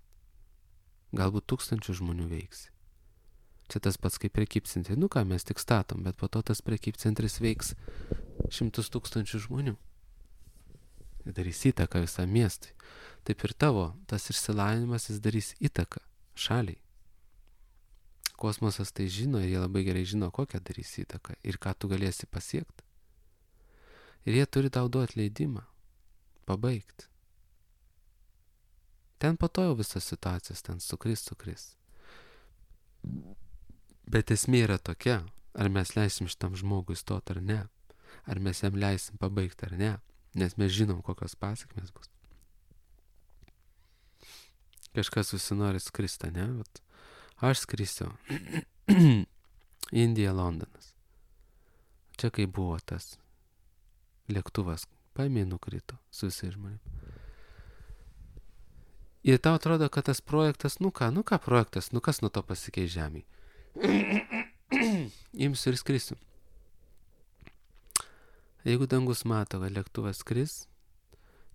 Galbūt tūkstančių žmonių veiksi. Čia tas pats kaip prekybcentris. Nu ką, mes tik statom, bet po to tas prekybcentris veiks šimtus tūkstančių žmonių. Ir darys įtaką visam miestui. Taip ir tavo, tas išsilavinimas, jis darys įtaką šaliai. Kosmosas tai žino ir jie labai gerai žino, kokią darys įtaką ir ką tu galėsi pasiekti. Ir jie turi tau duoti leidimą, pabaigti. Ten po to jau visas situacijas ten sukris, sukris. Bet esmė yra tokia, ar mes leisim šitam žmogui stoti ar ne, ar mes jam leisim pabaigti ar ne, nes mes žinom, kokios pasekmės bus. Kažkas susinori skristi, ne? Vat aš skrisiu. Indija, Londonas. Čia kai buvo tas lėktuvas, paėmė nukrito su visais žmonėmis. Ir tau atrodo, kad tas projektas, nu ką, nu ką projektas, nu kas nuo to pasikeis žemėje. Imsiu ir skrisiu. Jeigu dangus mato, kad lėktuvas skris,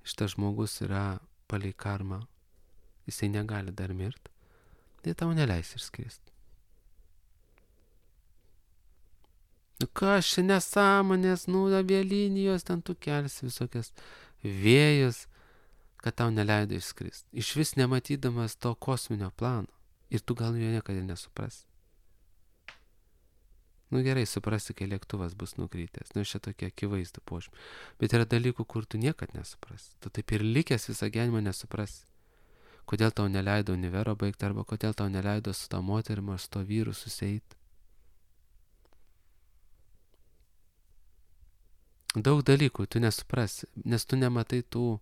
šitas žmogus yra palei karmą, jisai negali dar mirti, tai tau neleis ir skristi. Nu ką, čia nesąmonės, nu avialinijos, ten tu kelsi visokias vėjus, kad tau neleido išskristi. Iš vis nematydamas to kosminio plano. Ir tu gal jo niekada nesuprasi. Nu gerai, suprasi, kai lėktuvas bus nukrytęs. Nu čia tokie akivaizdų požymiai. Bet yra dalykų, kur tu niekad nesuprasi. Tu taip ir likęs visą gyvenimą nesuprasi. Kodėl tau neleido univero baigti, arba kodėl tau neleido su to moterim ar su to vyru susieiti. Daug dalykų tu nesuprasi, nes tu nematai tų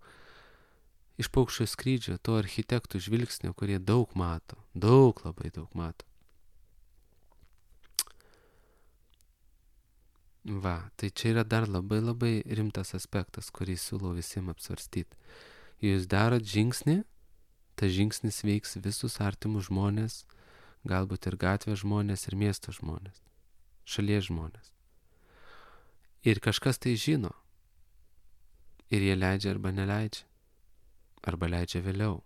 iš paukščio skrydžio, tų architektų žvilgsnių, kurie daug mato, daug labai daug mato. Va, tai čia yra dar labai labai rimtas aspektas, kurį siūlau visiems apsvarstyti. Jūs darot žingsnį, tas žingsnis veiks visus artimus žmonės, galbūt ir gatvės žmonės, ir miesto žmonės, šalies žmonės. Ir kažkas tai žino. Ir jie leidžia arba neleidžia. Arba leidžia vėliau.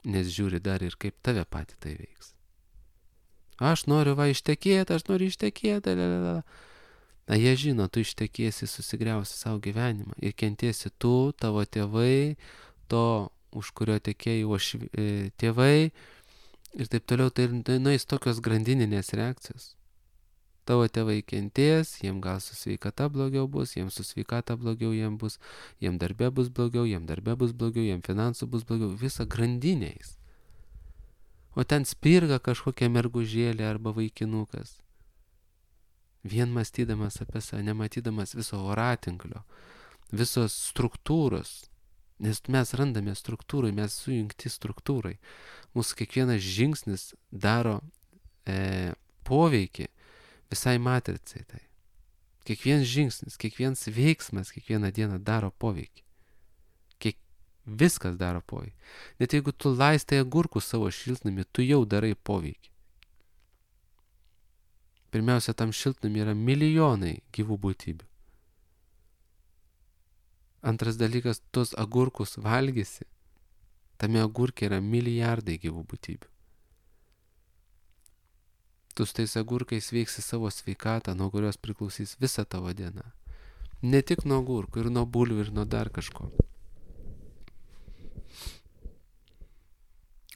Nes žiūri dar ir kaip tave patį tai veiks. Aš noriu va ištekėti, aš noriu ištekėti. Lalala. Na jie žino, tu ištekėsi, susigriausi savo gyvenimą. Ir kentėsi tu, tavo tėvai, to, už kurio tekėjai uošvi, e, tėvai. Ir taip toliau, tai nueis tokios grandininės reakcijos. Tavo tėvai kentės, jiem gal su sveikata blogiau bus, jiem su sveikata blogiau jiem bus, jiem darbe bus blogiau, jiem darbe bus blogiau, jiem finansų bus blogiau, visa grandiniais. O ten spirga kažkokia mergužėlė arba vaikinukas. Vien mąstydamas apie save, nematydamas viso voratinklio, visos struktūros, nes mes randame struktūrai, mes sujungti struktūrai. Mūsų kiekvienas žingsnis daro e, poveikį visai matricai tai. Kiekvienas žingsnis, kiekvienas veiksmas, kiekvieną dieną daro poveikį. Kiek viskas daro poveikį. Net jeigu tu laistai agurkus savo šiltnamį, tu jau darai poveikį. Pirmiausia, tam šiltnamį yra milijonai gyvų būtybių. Antras dalykas, tos agurkus valgysi. Tame agurke yra milijardai gyvų būtybių. Tu su tais agurkais veiksi savo sveikatą, nuo kurios priklausys visa tavo diena. Ne tik nuo agurkų, ir nuo bulvių, ir nuo dar kažko.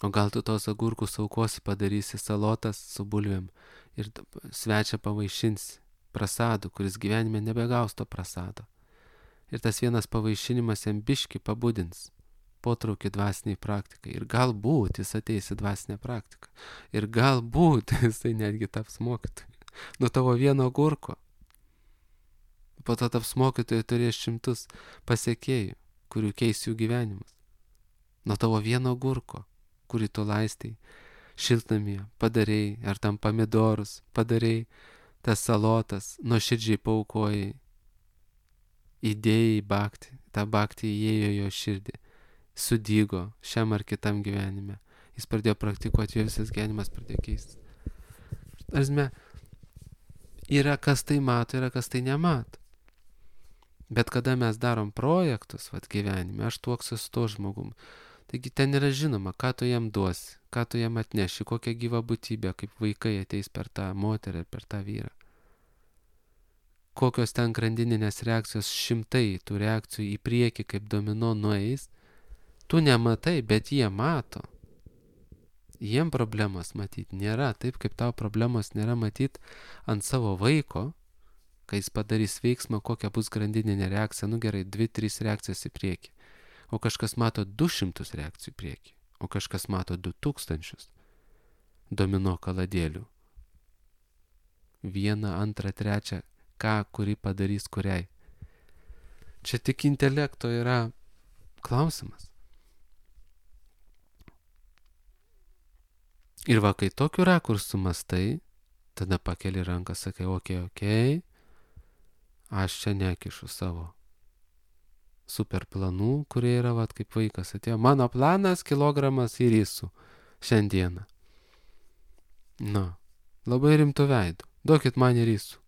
O gal tu tos agurkus aukosi, padarysi salotas su bulvėm ir svečią pavaišinsi prasadu, kuris gyvenime nebegaus to prasado. Ir tas vienas pavaišinimas jam biški pabudins potraukį dvasiniai praktikai. Ir galbūt jis ateis į dvasinę praktiką. Ir galbūt jisai netgi taps mokytoju. Nuo tavo vieno agurko. Po to taps mokytoju, turės šimtus pasiekėjų, kurių keis jų gyvenimus. Nuo tavo vieno agurko, kurį tu laistai šiltnamyje, padarei, ar tam pomidorus, padarei tas salotas, nuoširdžiai paaukojai, įdėjai bakti, tą baktį įėjo jo širdį, sudygo šiam ar kitam gyvenime. Jis pradėjo praktikuoti, jo visas gyvenimas pradėjo keistis. Arsme, yra kas tai mato, yra kas tai nemato. Bet kada mes darom projektus, vat gyvenime, aš tuoksiu su to žmogum. Taigi ten yra žinoma, ką tu jam duosi, ką tu jam atneši, kokią gyvą būtybę, kaip vaikai ateis per tą moterį ir per tą vyrą. Kokios ten grandininės reakcijos, šimtai tų reakcijų į priekį kaip domino nueis, tu nematai, bet jie mato. Jiem problemos matyti nėra, taip kaip tau problemos nėra matyti ant savo vaiko, kai jis padarys veiksmą, kokia bus grandininė reakcija, nu gerai, dvi, trys reakcijos į priekį. O kažkas mato du šimtus reakcijų į priekį, o kažkas mato du tūkstančius domino kaladėlių. Vieną, antrą, trečią, ką, kuri padarys kuriai. Čia tik intelekto yra klausimas. Ir va, kai tokiu rakursu mastai, tada pakeli ranką, sakai, okei, okei, aš čia nekišu savo super planų, kurie yra, va, kaip vaikas atėjo. Mano planas kilogramas į risų šiandieną. Na, labai rimtų veidų. Duokit man į risų.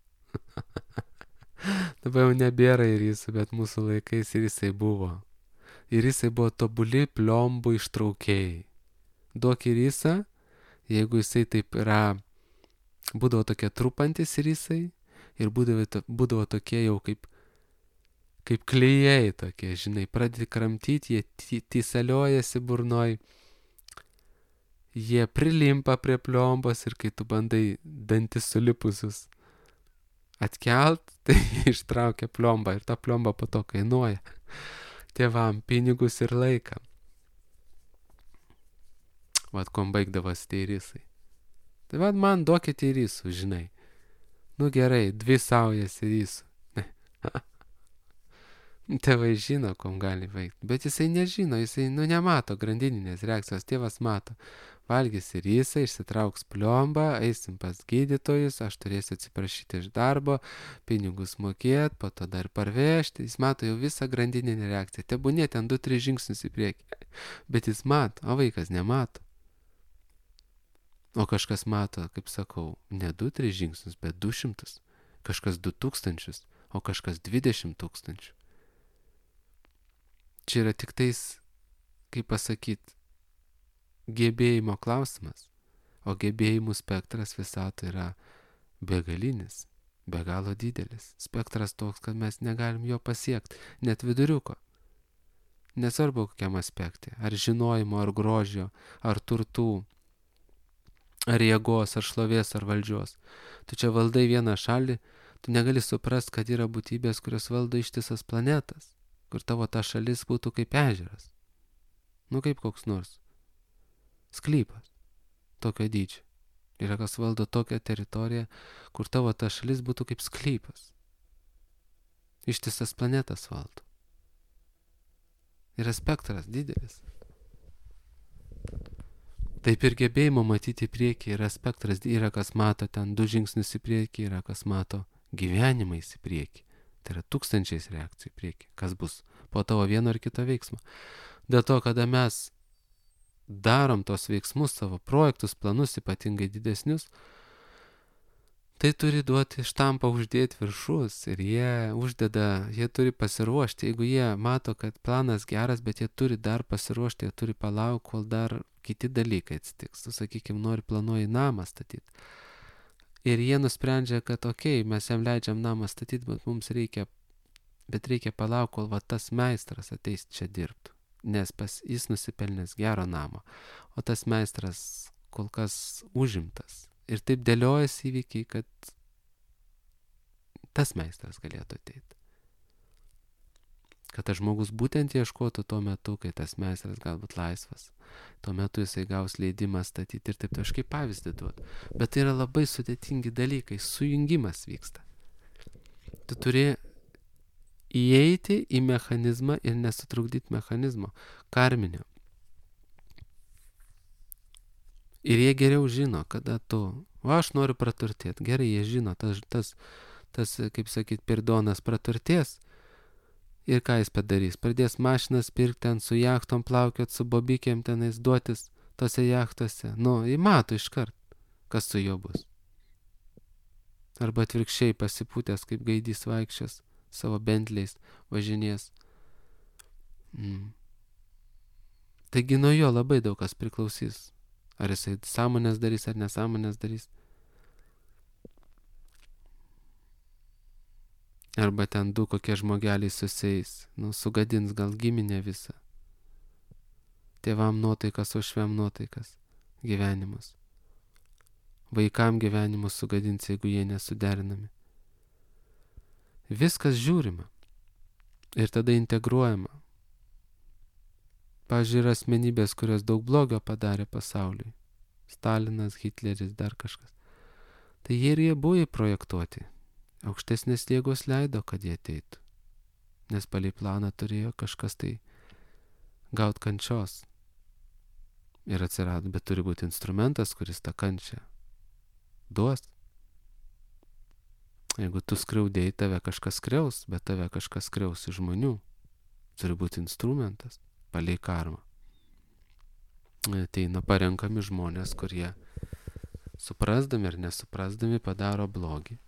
Dabar jau nebėra į risų, bet mūsų laikais ir jisai buvo. Ir jisai buvo tobuli pliombų ištraukėjai. Duok į risą, jeigu jisai taip yra, būdavo tokie trupantis ir jisai, ir būdavo, būdavo tokie jau kaip, kaip klijai tokie, žinai, pradedi kramtyti, jie tysaliojasi burnoj, jie prilimpa prie pliombos ir kai tu bandai dantis sulipusius atkelt, tai ištraukia plombą ir ta plomba po to kainuoja tėvam pinigus ir laiką. Vat kom baigdavas tie risai. Tai vat man duokite risų, žinai. Nu gerai, dvi saujas risų. Tėvai žino, kom gali baigti. Bet jisai nežino, jisai nu nemato grandininės reakcijos. Tėvas mato. Valgys risą, išsitrauks plombą, eisim pas gydytojus, aš turėsiu atsiprašyti iš darbo, pinigus mokėt, po to dar parvežti. Jis mato jau visą grandininę reakciją. Tebūnė ten du, tris žingsnius į priekį. Bet jis mato, o vaikas nemato. O kažkas mato, kaip sakau, ne du, tris žingsnius, bet du šimtus. Kažkas du tūkstančius, o kažkas dvidešimt tūkstančių. Čia yra tik tais, kaip pasakyti, gebėjimo klausimas. O gebėjimų spektras visato yra begalinis, be galo didelis. Spektras toks, kad mes negalim jo pasiekti, net viduriuko. Nesvarbu kokiam aspekte, ar žinojimo, ar grožio, ar turtų, ar jėgos, ar šlovės, ar valdžios. Tu čia valdai vieną šalį, tu negali suprast, kad yra būtybės, kurios valdo ištisas planetas, kur tavo ta šalis būtų kaip ežeras. Nu kaip koks nors sklypas tokio dydžio. Yra kas valdo tokią teritoriją, kur tavo ta šalis būtų kaip sklypas. Ištisas planetas valdo. Yra spektras didelis. Taip ir gebėjimo matyti į priekį yra spektras, yra kas mato ten du žingsnius į priekį, yra kas mato gyvenimais į priekį. Tai yra tūkstančiais reakcijų į priekį, kas bus po tavo vieno ar kito veiksmo. Dėl to, kada mes darom tos veiksmus, savo projektus, planus ypatingai didesnius, tai turi duoti štampą, uždėti viršus ir jie uždeda, jie turi pasiruošti. Jeigu jie mato, kad planas geras, bet jie turi dar pasiruošti, jie turi palaukti, kol dar kiti dalykai atsitiks. Tu, sakykime, nori planuoji namą statyti. Ir jie nusprendžia, kad okei, okay, mes jam leidžiam namą statyti, bet mums reikia, bet reikia palaukti, kol va tas meistras ateis čia dirbtų. Nes pas, jis nusipelnęs gero namo. o tas meistras kol kas užimtas. Ir taip dėliojasi įvykiai, kad tas meistras galėtų ateiti. Kad tas žmogus būtent ieškotų tuo metu, kai tas meistras galbūt laisvas. Tuo metu jisai gaus leidimą statyti ir taip tai aš kaip pavyzdį duodu. Bet tai yra labai sudėtingi dalykai, sujungimas vyksta. Tu turi įeiti į mechanizmą ir nesutrukdyti mechanizmo, karminio. Ir jie geriau žino, kada tu, o aš noriu praturtėti. Gerai, jie žino, tas, tas, tas kaip sakyt, pirdonas praturtės. Ir ką jis padarys? Pradės mašinas pirkti ten su jachtom plaukiot, su bobikėm tenais duotis tose jachtose. Nu, jį mato iškart, kas su juo bus. Arba atvirkščiai pasipūtęs, kaip gaidys vaikščios, savo bentliais važinės. Mm. Taigi nuo jo labai daug kas priklausys. Ar jisai sąmonės darys, ar nesąmonės darys. Arba ten du kokie žmogeliai susieis, nu, sugadins gal giminę visą. Tėvam nuotaikas, o švem nuotaikas, gyvenimus. Vaikam gyvenimus sugadins, jeigu jie nesuderinami. Viskas žiūrima ir tada integruojama. Pavyzdžiui, yra asmenybės, kurios daug blogio padarė pasauliui. Stalinas, Hitleris, dar kažkas. Tai jie ir jie buvo įprojektuoti. Aukštesnės jėgos leido, kad jie ateitų. Nes palei planą turėjo kažkas tai gaut kančios. Ir atsirado, bet turi būti instrumentas, kuris tą kančią duos. Jeigu tu skriaudėjai, tave kažkas skriaus, bet tave kažkas skriaus iš žmonių. Turi būti instrumentas, palei karmą. Ateina parenkami žmonės, kurie suprasdami ir nesuprasdami padaro blogį.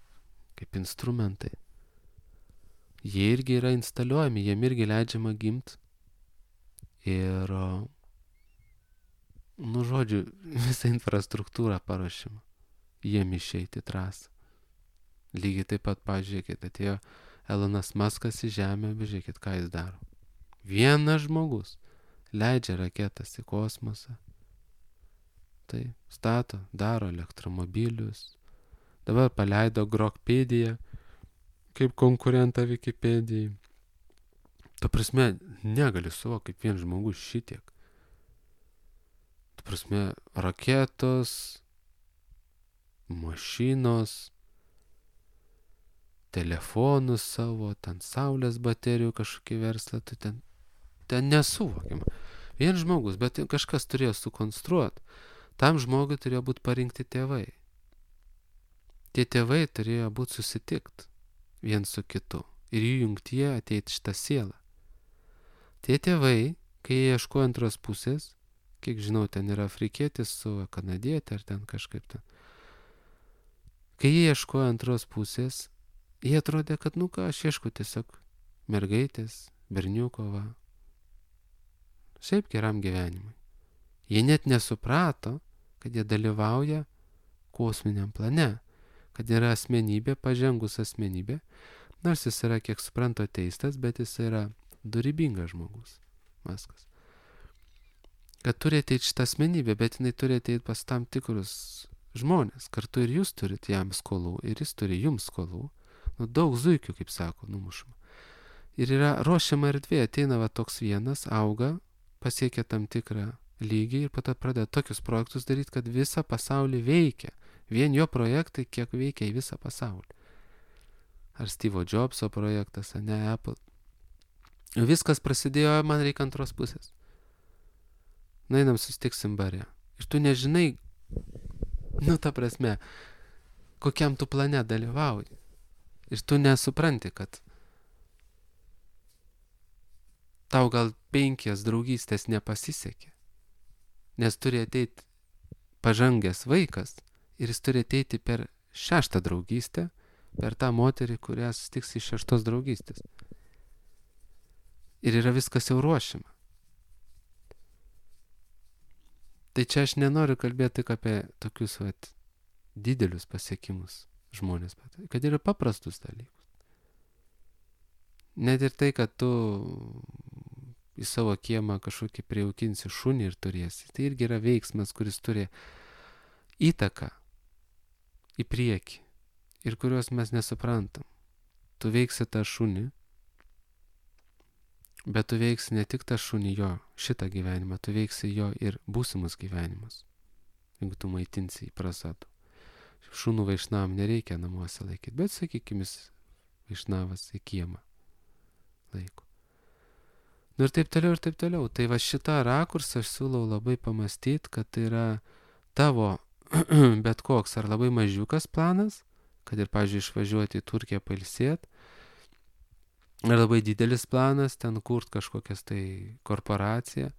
Kaip instrumentai. Jie irgi yra instaliuojami, jiem irgi leidžiama gimt. Ir, nu žodžiu, visą infrastruktūrą paruošimą. Jiem išeiti trasą. Lygiai taip pat, pažiūrėkit, atėjo Elonas Muskas į Žemę, bežiūrėkit, ką jis daro. Vienas žmogus leidžia raketas į kosmosą. Tai stato, daro elektromobilius. Dabar paleido Grokpediją kaip konkurentą Wikipedijai. Ta prasme, negali suvokti, kaip vien žmogus šitiek. Ta prasme, raketos, mašinos, telefonus savo, ten saulės baterijų kažkokį verslą, tai ten, ten nesuvokiama. Vien žmogus, bet kažkas turėjo sukonstruoti. Tam žmogui turėjo būti parinkti tėvai. Tie tėvai turėjo būti susitikt vien su kitu ir jų jungtyje ateiti šitą sielą. Tie tėvai, kai jie ieško antros pusės, kiek žinau, ten yra afrikietis su kanadietė ar ten kažkaip ten. Kai jie ieško antros pusės, jie atrodė, kad nu ką, aš ieško tiesiog mergaitės, berniuko, va. Šiaip geram gyvenimui. Jie net nesuprato, kad jie dalyvauja kosminiam plane. Kad yra asmenybė, pažengus asmenybė, nors jis yra, kiek suprantu, ateistas, bet jis yra dorybingas žmogus, Muskas. Kad turi ateiti šitą asmenybę, bet jinai turi ateiti pas tam tikrus žmonės. Kartu ir jūs turite jam skolų, ir jis turi jums skolų. Nu, daug zuikių, kaip sako, numušama. Ir yra ruošiama erdvė, ateina va toks vienas, auga, pasiekia tam tikrą lygį ir po to pradeda tokius projektus daryti, kad visą pasaulį veikia. Vien jo projektai, kiek veikia į visą pasaulį. Ar Steve'o Jobso projektas, ar ne Apple. Viskas prasidėjo, man reikia antros pusės. Nainam sustiksim bare. Ir tu nežinai, nu ta prasme, kokiam tu plane dalyvauji. Ir tu nesupranti, kad tau gal penkias draugystės nepasisekė. Nes turi ateiti pažangęs vaikas, ir jis turi ateiti per šeštą draugystę, per tą moterį, kurią susitiks iš šeštos draugystės. Ir yra viskas jau ruošiama. Tai čia aš nenoriu kalbėti tik apie tokius vat, didelius pasiekimus žmonės, kad yra paprastus dalykus. Net ir tai, kad tu į savo kiemą kažkokį prijaukinsi šunį ir turėsi. Tai irgi yra veiksmas, kuris turi įtaką į priekį ir kuriuos mes nesuprantam. Tu veiksi tą šunį, bet tu veiksi ne tik tą šunį jo, šitą gyvenimą, tu veiksi jo ir būsimus gyvenimus, jeigu tu maitinsi į prasadų. Šunų vaišnavam nereikia namuose laikyti, bet sakykime, vaišnavas į kiemą laiko. Nu ir taip toliau, ir taip toliau. Tai va šitą rakursą aš siūlau labai pamastyti, kad tai yra tavo bet koks ar labai mažiukas planas, kad ir, pavyzdžiui, išvažiuoti į Turkiją pailsėti, ar labai didelis planas, ten kurt kažkokias tai korporaciją.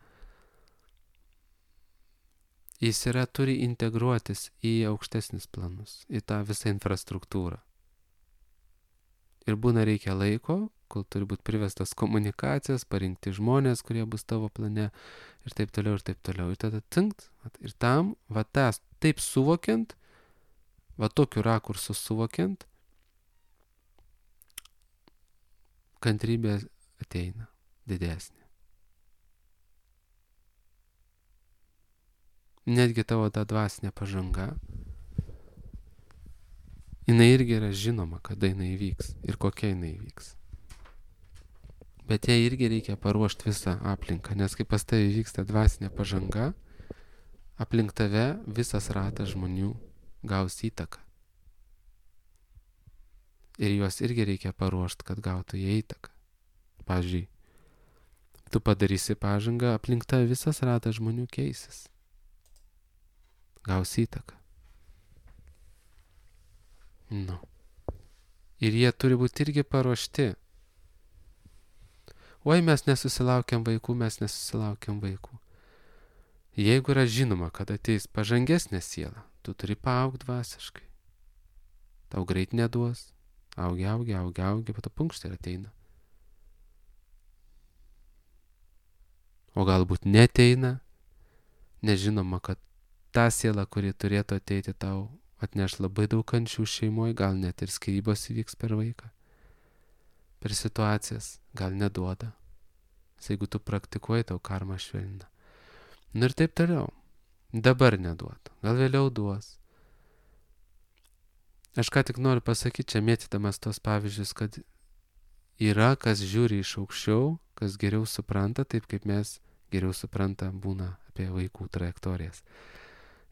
Jis yra, turi integruotis į aukštesnis planus, į tą visą infrastruktūrą. Ir būna reikia laiko, kol turi būti privestas komunikacijas, parinkti žmonės, kurie bus tavo plane ir taip toliau, ir taip toliau. Ir tada cinkt, ir tam, va tas, taip suvokiant, va tokiu rakursu suvokiant, kantrybė ateina didesnė. Netgi tavo ta dvasinė pažanga, jinai irgi yra žinoma, kada jinai vyks ir kokia jinai vyks. Bet jai irgi reikia paruošti visą aplinką, nes kai pas tavai vyksta dvasinė pažanga, aplink tave visas ratas žmonių gaus įtaką. Ir juos irgi reikia paruošti, kad gautų jie įtaką. Pavyzdžiui, tu padarysi pažangą, aplink tave visas ratas žmonių keisis. Gaus įtaką. Nu. Ir jie turi būti irgi paruošti. Oi, mes nesusilaukiam vaikų, mes nesusilaukiam vaikų. Jeigu yra žinoma, kad ateis pažangesnė siela, tu turi paaugti dvasiškai. Tau greit neduos. Augi, augi, augi, augi, bet punkšt ir ateina. O galbūt neteina, nežinoma, kad ta siela, kuri turėtų ateiti tau, atneš labai daug kančių šeimoje, gal net ir skyrybos įvyks per vaiką, per situacijas, gal neduoda. Jeigu tu praktikuoji, tau karma švelnina. Nu ir taip toliau. Dabar neduoda, gal vėliau duos. Aš ką tik noriu pasakyti, čia mėtydamas tos pavyzdžius, kad yra, kas žiūri iš aukščiau, kas geriau supranta, taip kaip mes geriau supranta būna apie vaikų trajektorijas.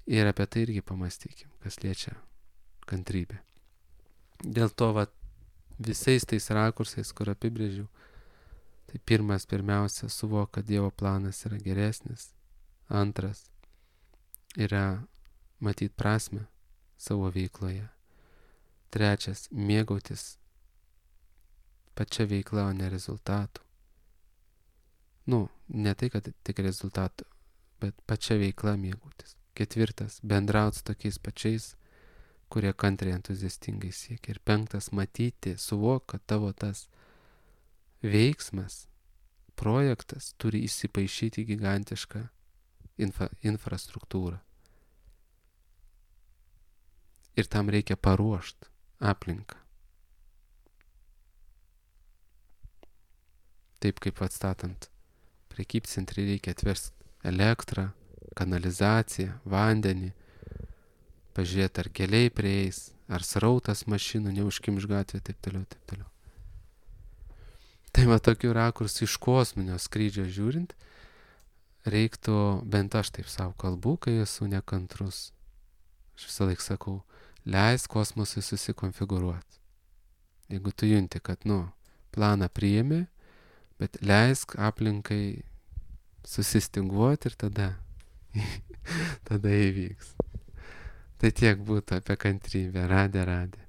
Ir apie tai irgi pamastykim, kas liečia kantrybę. Dėl to, va, visais tais rakursais, kur apibrėžiau, tai pirmas, pirmiausia, suvok, kad Dievo planas yra geresnis. Antras, yra matyti prasme savo veikloje. Trečias, mėgautis pačia veikla, o ne rezultatų. Nu, ne tai, kad tik rezultatų, bet pačia veikla mėgautis. Ketvirtas, bendrauti su tokiais pačiais, kurie kantriai entuziastingai siekia. Ir penktas, matyti, suvok, kad tavo tas veiksmas, projektas turi įsipaišyti gigantišką infra, infrastruktūrą. Ir tam reikia paruošti aplinką. Taip kaip atstatant prekybcentrį reikia atversti elektrą, kanalizaciją, vandenį, pažiūrėti, ar keliai prieis, ar srautas mašinų neužkimš gatvė, taip toliau, taip toliau. Tai va tokių rakursų iš kosminio skrydžio žiūrint, reiktų, bent aš taip savo kalbu, kai esu nekantrus. Aš visą laiką sakau, leis kosmosui susikonfigūruoti. Jeigu tu junti, kad, nu, planą priimi, bet leisk aplinkai susistinguoti ir tada, tada įvyks. Tai tiek būtų apie kantrybę. Radė, radė.